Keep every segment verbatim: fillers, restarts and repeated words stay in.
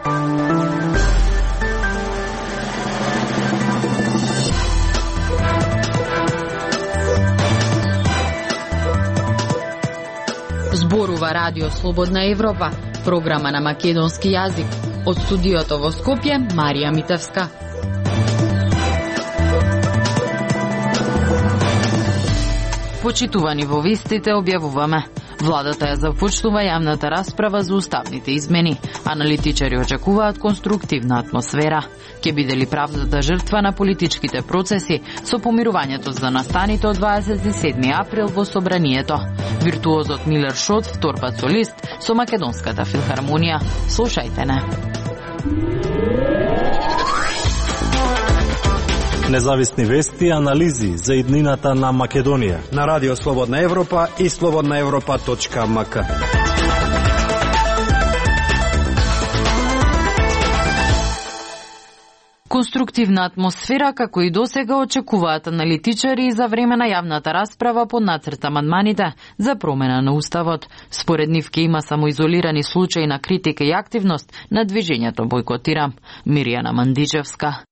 Зборува Радио Слободна Европа, програма на македонски јазик. Од студиото во Скопје, Марија Митевска. Почитувани во вестите објавуваме. Владата ја започнува јавната расправа за уставните измени. Аналитичари очекуваат конструктивна атмосфера. Ке биде ли правдата жртва на политичките процеси со помирувањето за настаните од дваесет и седми април во Собранието? Виртуозот Милер Шот, втор пат солист со Македонската филхармонија. Слушајте не. Независни вести и анализи за иднината на Македонија на Радио Слободна Европа и слободна европа точка ем ка. Конструктивна атмосфера, како и досега, очекуваат аналитичари за време на јавната расправа по нацрт амандманите за промена на Уставот. Според нив ке има само изолирани случаи на критика и активност на движењето Бојкотирам. Миријана Мандичевска.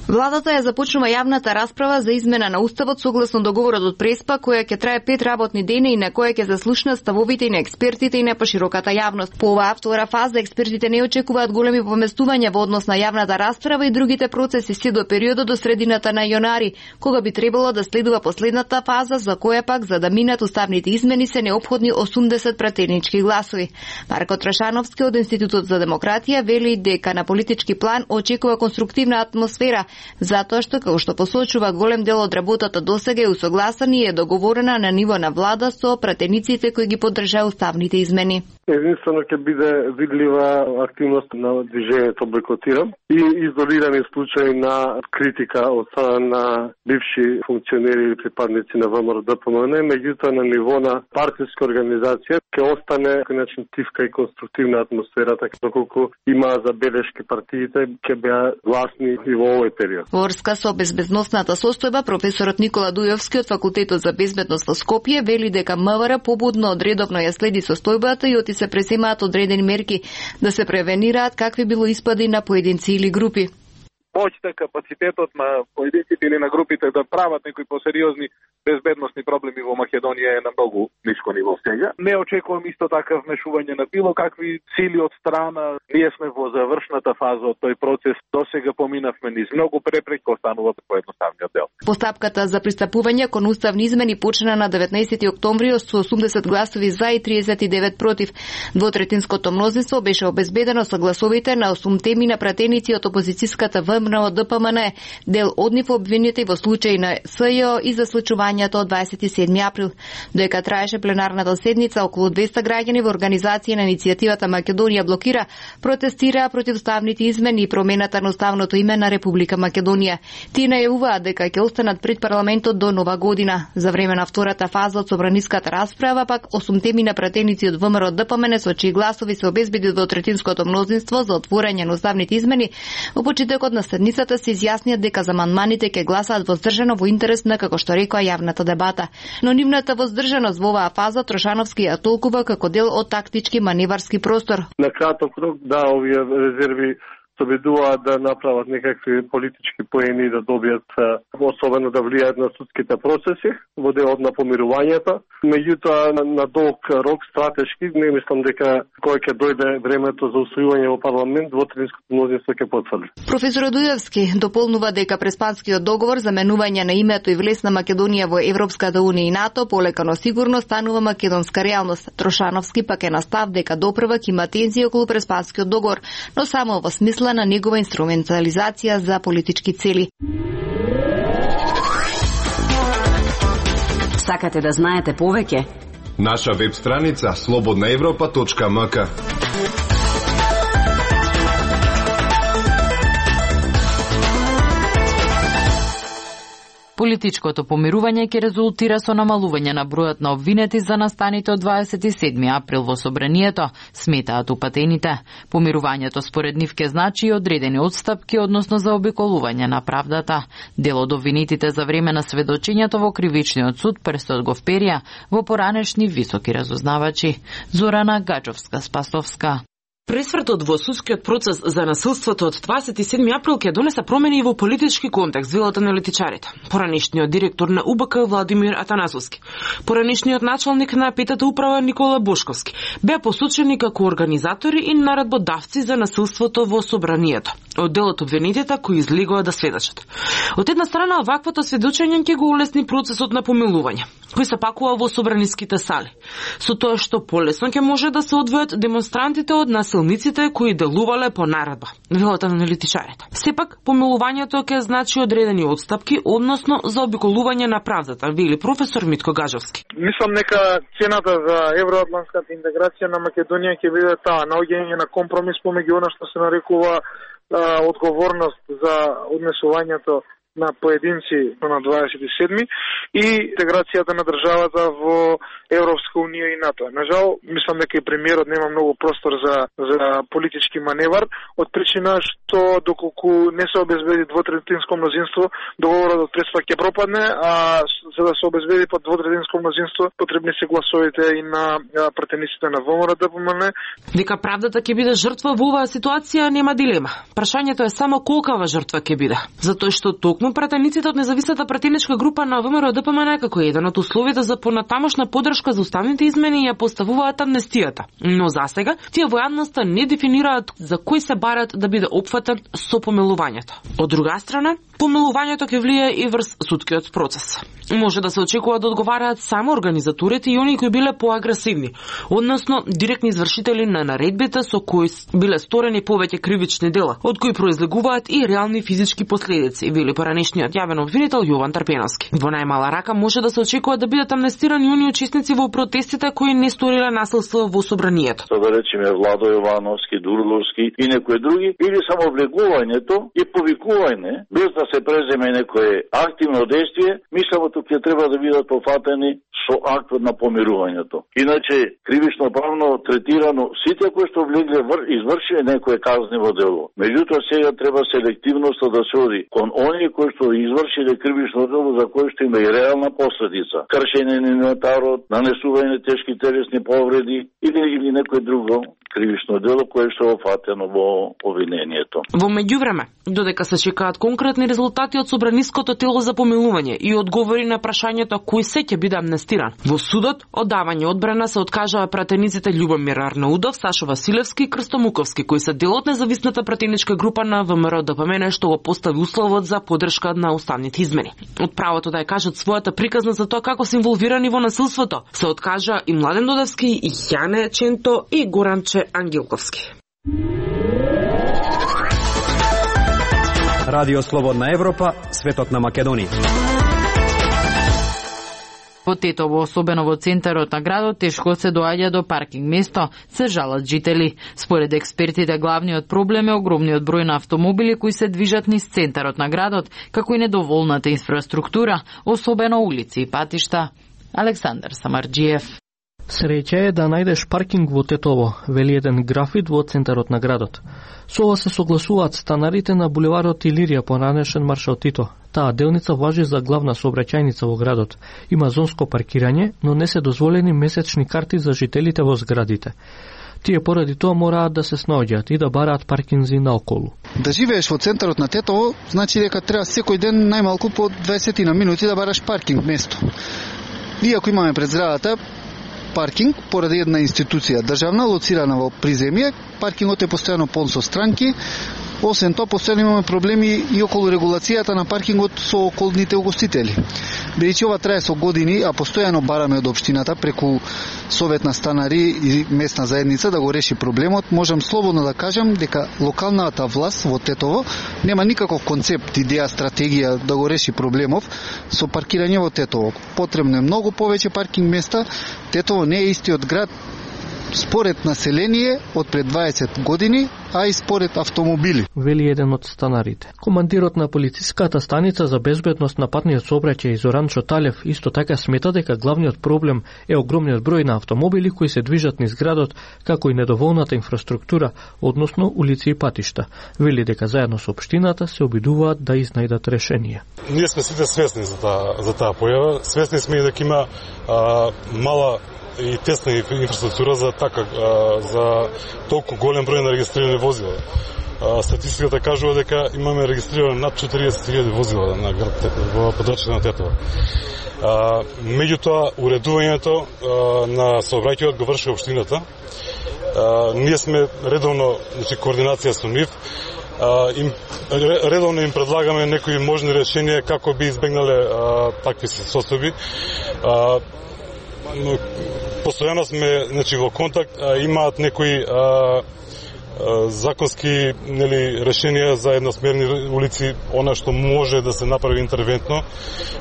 Владата ја започнува јавната расправа за измена на Уставот согласно договорот од Преспа, која ќе трае пет работни дена и на која ќе заслушнат ставовите и на експертите и на пошироката јавност. По оваа втора фаза експертите не очекуваат големи поместувања во однос на јавната расправа и другите процеси се до периодот до средината на јанари, кога би требало да следува последната фаза, за која пак за да минат уставните измени се неопходни осумдесет пратенички гласови. Марко Трашановски од Институтот за демократија вели дека на политички план очекува конструктивна атмосфера, затоа што, како што посочува, голем дел од работата досега е усогласена и е договорена на ниво на влада со пратениците кои ги поддржаа уставните измени. Единствено ќе биде видлива активност на движењето Бојкотирам и изолирани случаи на критика од страна на бивши функционери или припадници на ВМРО Д П М Н, меѓутоа на ниво на партиска организација ќе остане начин тивка и конструктивна атмосфера, така доколку има забелешки партиите ќе беа гласни и во овој период. Во врска со безбедносната состојба, професорот Никола Дујовски од Факултетот за безбедност во Скопје вели дека М В Р побудно одредовно ја следи состојбата и оти се преземаат одредени мерки да се превенираат какви било испади на поединци или групи. Моќта, капацитетот на поединците или на групите да прават некои посериозни безбедносни проблеми во Македонија е на многу ниско ниво сега. Не очекувам исто така вмешување на било какви сили од страна. Ние сме во завршната фаза од тој процес. Досега поминавме низ многу препреки, останува поедноставниот дел. Постапката за пристапување кон уставни измени почна на деветнаесети октомври со осумдесет гласови за и триесет и девет против. Двотретинското мнозинство беше обезбедено со гласовите на осум теми на пратеници од опозицијската ВМРО Д П М Н, дел од нив обвинети во случај на С Ј О и за случувањето од дваесет и седми април. Доека траеше пленарната седница, околу двеста граѓани во организација на иницијативата Македонија блокира протестираа против уставните измени и промената на уставното име на Република Македонија. Тие најавуваат дека ќе останат пред парламентот до нова година. За време на втората фаза од собраниската расправа пак осум теми на пратеници од ВМРО Д П М Н со чии гласови се обезбеди двотретинското мнозинство за отворање на уставните измени, во почетокот на седницата се изјаснија дека за амандманите ќе гласаат воздржано во интерес на, како што рекоа, јавната дебата. Но нивната воздржаност во оваа фаза Трошановски ја толкува како дел од тактички маневарски простор. На краток рок, да, овие резерви се обидуваат да направат некакви политички поени да добијат, особено да влијаат на судските процеси во делот на помирувањето. Меѓутоа, на долг рок, стратешки, не мислам дека кога ќе дојде времето за усвојување во парламент, двотретинското мнозинство ќе потврди. Професор Дујовски дополнува дека Преспанскиот договор за менување на името и влез на Македонија во Европската унија и НАТО полека но сигурно станува македонска реалност. Трошановски пак е настав дека допрвак има тензии околу Преспанскиот договор, но само во смисла на негова инструментализација за политички цели. Сакате да знаете повеќе? Наша веб страница слободна европа точка ем ка. Политичкото помирување ќе резултира со намалување на бројот на обвинети за настаните од дваесет и седми април во Собранието, сметаат упатените. Помирувањето според нив ќе значи и одредени отстапки, односно за обиколување на правдата. Дел од обвинетите за време на сведочењето во кривичниот суд престот го вперија во поранешни високи разузнавачи. Зорана Гаџовска-Спасовска. Пресвртот во судскиот процес за насилството од дваесет и седми април ќе донесе промени во политички контекст, велат аналитичарите. Поранешниот директор на У Б К Владимир Атанасовски, поранешниот началник на петата управа Никола Бошковски беа посочени како организатори и наредбодавци за насилството во собранието. Од делот обвинетите кои излегува да сведочат. Од една страна, оваквото сведочење ќе го улесни процесот на помилување, кој се пакува во собраниските сали, со тоа што полесно ќе може да се одвојат демонстрантите од насилниците кои делувале по наредба, велат аналитичарите. Сепак, помилувањето ќе значи одредени отстапки, односно заобиколување на правдата, вели професор Митко Гажовски. Мислам дека цената за евроатлантската интеграција на Македонија ќе биде таа наоѓање на компромис помеѓу она што се нарекува а, одговорност за однесувањето на поединци на дваесет и седми и интеграцијата на државата во Европска унија и НАТО. Нажал, мислам дека и премиерот нема многу простор за за политички маневар, од причина што доколку не се обезбеди двотретинско мнозинство, договорот од Преспа ќе пропадне, а за да се обезбеди под двотретинско мнозинство, потребни се гласовите и на пратениците на ВМРО Д П М Н. Дека правдата ќе биде жртва во оваа ситуација нема дилема. Прашањето е само колкава жртва ќе биде, затоа што токму пратениците од независната пратеничка група на ВМРО Д П М Н како еден од условите за понатамошна поддршка за уставните измени ја поставуваат амнестијата. Но засега тие во јавноста не дефинираат за кој се барат да биде опфатен со помилувањето. Од друга страна, помилувањето ќе влие и врз судскиот процес. Може да се очекува да одговараат само организаторите и оние кои биле поагресивни, односно директни извршители на наредбите со кои биле сторени повеќе кривични дела, од кои произлегуваат и реални физички последици, вели поранешниот јавен обвинител Јован Трпеновски. Во најмала рака може да се очекува да бидат амнестирани оние учесници во протестите кои не сториле насилство во собранието. Да речеме Владо Јовановски, Дурловски и некои други, или само влегувањето и повикување без да се преземе некое активно действие, мислам тук ќе треба да бидат пофатени со актот на помирувањето. Иначе кривично правно третирано сите кои што влегле извршиле некое казниво дело. Меѓутоа сега треба селективноста да се оди кон оние кои што извршиле кривично дело за кое што има и реална последица. Кршење на инвентарот, нанесување тешки телесни повреди или или некое друго кривично дело кое што е фатено во обвинението. Во меѓувреме, додека се чекаат конкретни резултати од собраниското тело за помилување и одговори на прашањето кој се ќе биде амнестиран, во судот од давање одбрана се откажаа пратениците Љубомир Арнаудов, Сашо Василевски и Крсто Муковски, кои се дел од независната пратеничка група на ВМРО Д П М Н што го постави условот за поддршка на уставните измени. Од правото да ја кажат својата приказна за тоа како се инволвирани во насилството се откажа и Младен Додевски, и Јане Ченто и Горанче Ангелковски. Радио Слободна Европа, светот на Македонија. Во Тетово, особено во центарот на градот, тешко се доаѓа до паркинг место, се жалат жители. Според експертите, главниот проблем е огромниот број на автомобили кои се движат низ центарот на градот, како и недоволната инфраструктура, особено улици и патишта. Александар Самарџиев. Среќа е да најдеш паркинг во Тетово, вели еден графит во центарот на градот. Со ова се согласуваат станарите на булеварот Илирија, поранешен Маршал Тито. Таа делница важи за главна сообраќајница во градот. Има зонско паркирање, но не се дозволени месечни карти за жителите во зградите. Тие поради тоа мораат да се снаоѓаат и да бараат паркинзи наоколу. Да живееш во центарот на Тетово, значи дека треба секој ден најмалку по дваесет на минути да бараш паркинг место. Иако имаме пред зградата паркинг поради една институција државна лоцирана во приземје, паркингот е постојано полн со странки. Освен тоа, постојано имаме проблеми и околу регулацијата на паркингот со околните угостители. Бидејќи ова трае со години, а постојано бараме од општината преку Совет на станари и местна заедница да го реши проблемот, можам слободно да кажам дека локалната власт во Тетово нема никаков концепт, идеја, стратегија да го реши проблемов со паркирање во Тетово. Потребно е многу повеќе паркинг места. Тетово не е истиот град според население од пред дваесет години, а и според автомобили. Вели еден од станарите. Командирот на полициската станица за безбедност на патниот сообраќај Зоран Шоталев исто така смета дека главниот проблем е огромниот број на автомобили кои се движат низ градот, како и недоволната инфраструктура, односно улици и патишта. Вели дека заедно со општината се обидуваат да изнајдат решение. Ние сме сите свесни за таа за таа појава. Свесни сме и дека има а, мала и тесна инфраструктура за така за толку голем број на регистрирани возила. Статистиката кажува дека имаме регистрирано над четириесет илјади возила на град во подрачјето на Тетово. Меѓутоа, уредувањето на сообраќајот го врши општината. Ние сме редовно, значи, координација со нив. Им, редовно им предлагаме некои можни решенија како би избегнале такви состојби. Постојано сме, значи, во контакт, имаат некои законски, нели, решенија за едносмерни улици, она што може да се направи интервентно.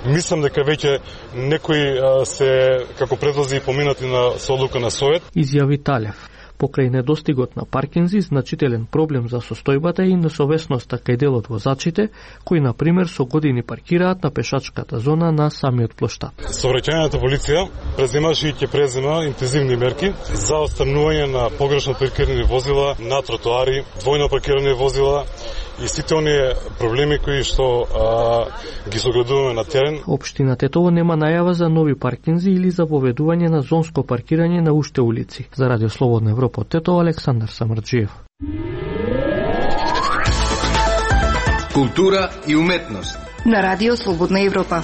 Мислам дека веќе некои се како предлози поминати на со одлука на Совет. Изјави Талев. Покрај недостигот на паркинзи, значителен проблем за состојбата и несовесноста кај дел од возачите, кои, на пример, со години паркираат на пешачката зона на самиот плоштад. Сообраќајната полиција преземаше и ќе презема интензивни мерки за отстранување на погрешно паркирани возила на тротоари, двојно паркирани возила и сите оние проблеми кои што а, ги согледуваме на терен. Општина Тетово нема најава за нови паркинзи или за поведување на зонско паркирање на уште улици. За Радио Слободна Европа од Тетово, Александар Самарджиев. Култура и уметност на Радио Слободна Европа.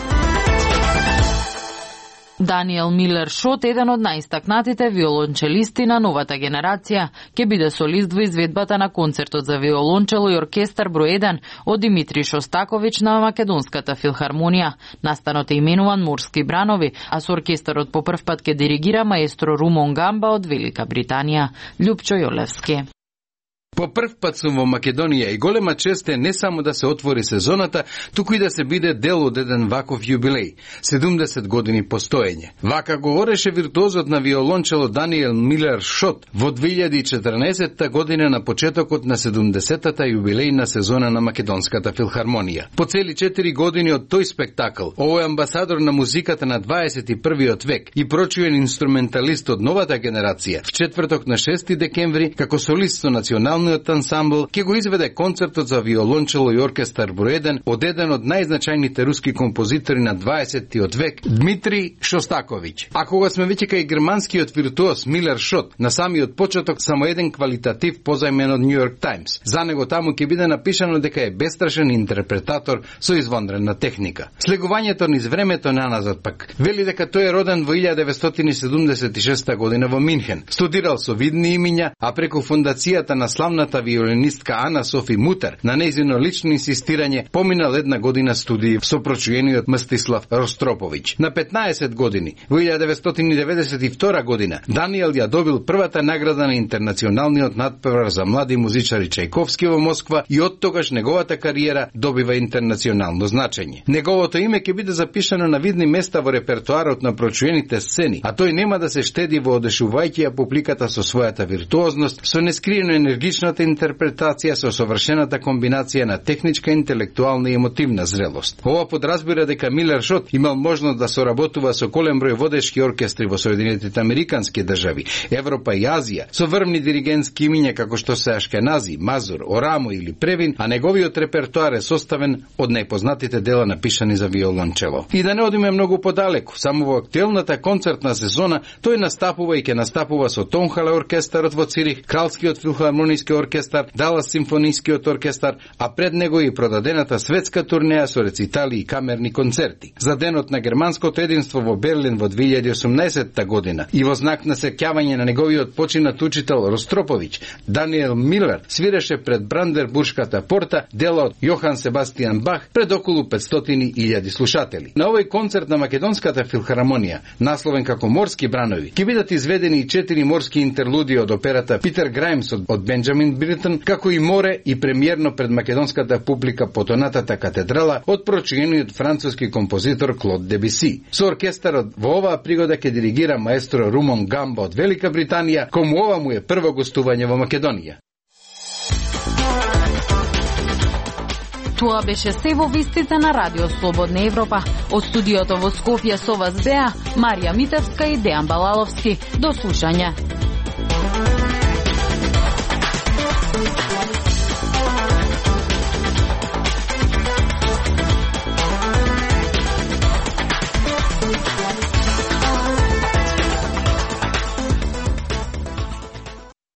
Даниел Милер Шот, еден од најистакнатите виолончелисти на новата генерација, ќе биде солист во изведбата на концертот за виолончело и оркестар број еден од Димитри Шостаковиќ на Македонската филхармонија. Настанот е именуван Морски бранови, а со оркестарот по прв пат ќе диригира маестро Румон Гамба од Велика Британија. Љупчо Јолевски. По прв пат сум во Македонија и голема чест е не само да се отвори сезоната, туку и да се биде дел од еден ваков јубилеј – седумдесет години постоење. Вака говореше виртуозот на виолончело Даниел Милер Шот во две илјади и четрнаесетта година на почетокот на седумдесеттата јубилејна сезона на Македонската филхармонија. По цели четири години од тој спектакл, овој амбасадор на музиката на дваесет и првиот век и прочуен инструменталист од новата генерација, в четврток на шести декември, како солист со националниот ансамбл, ќе го изведе концертот за виолончело и оркестар број еден од еден од најзначајните руски композитори на дваесеттиот век, Дмитрий Шостаковиќ. А кога сме веќе кај германскиот виртуоз Милер Шот, на самиот почеток само еден квалитатив позајмен од Нью Йорк Таймс. За него таму ќе биде напишано дека е бестрашен интерпретатор со извонредна техника. Слегувањето низ времето наназад пак вели дека тој е роден во илјада деветстотини седумдесет и шеста година во Минхен. Студирал со видни имиња, а преку фондацијата на славната виолинистка Ана Софи Мутер, на нејзино лично инсистирање, поминал една година студии со прочуениот Мстислав Ростроповиќ. На петнаесет години, во илјада деветстотини деветдесет и втора година, Даниел ја добил првата награда на интернационалниот надпревар за млади музичари Чајковски во Москва и од тогаш неговата кариера добива интернационално значење. Неговото име ќе биде запишано на видни места во репертоарот на прочуените сцени, а тој нема да се штеди во одешувајќи ја публиката со својата виртуозност, со нескриено енергичната интерпретација, со совршената комбинација на техничка, интелектуална и емотивна зрелост. Ова подразбира дека Милер Шот имал можност да соработува со голем број водечки оркестри во Соединетите Американски држави, Европа и Азија, со врвни диригентски имиња како што се Ашкенази, Мазур, Орамо или Превин, а неговиот репертоар е составен од најпознатите дела напишани за виолончело. И да не одиме многу подалеку, само во актуелната концертна сезона тој настапува и ќе настапува со Тонхале оркестарот во Цирих, Кралскиот филхармониски оркестар, Далас симфонискиот оркестар, а пред него и продадената светска турнеја со рецитали и камерни концерти. За денот на германското единство во Берлин во две илјади и осумнаесетта година и во знак на сеќавање на неговиот починат учител Ростроповиќ, Даниел Милер свиреше пред Брандербуршката порта дела од Јохан Себастијан Бах пред околу петстотини илјади слушатели. На овој концерт на Македонската филхармонија, насловен како Морски бранови, ќе бидат изведени и четири морски интерлуди од операта Питер Грајмс од Бенџамин Бритон, како и Море и премиерно пред македонската публика Потонатата катедрала од прочуениот француски композитор Клод Дебюси. Со оркестарот во оваа пригода ќе диригира маестро Румон Гамба од Велика Британија, кому ова му е прво гостување во Македонија. Тоа беше се во вестите на Радио Слободна Европа. Од студиото во Скопје со вас беа Марија Митевска и Дејан Балаловски. До слушање.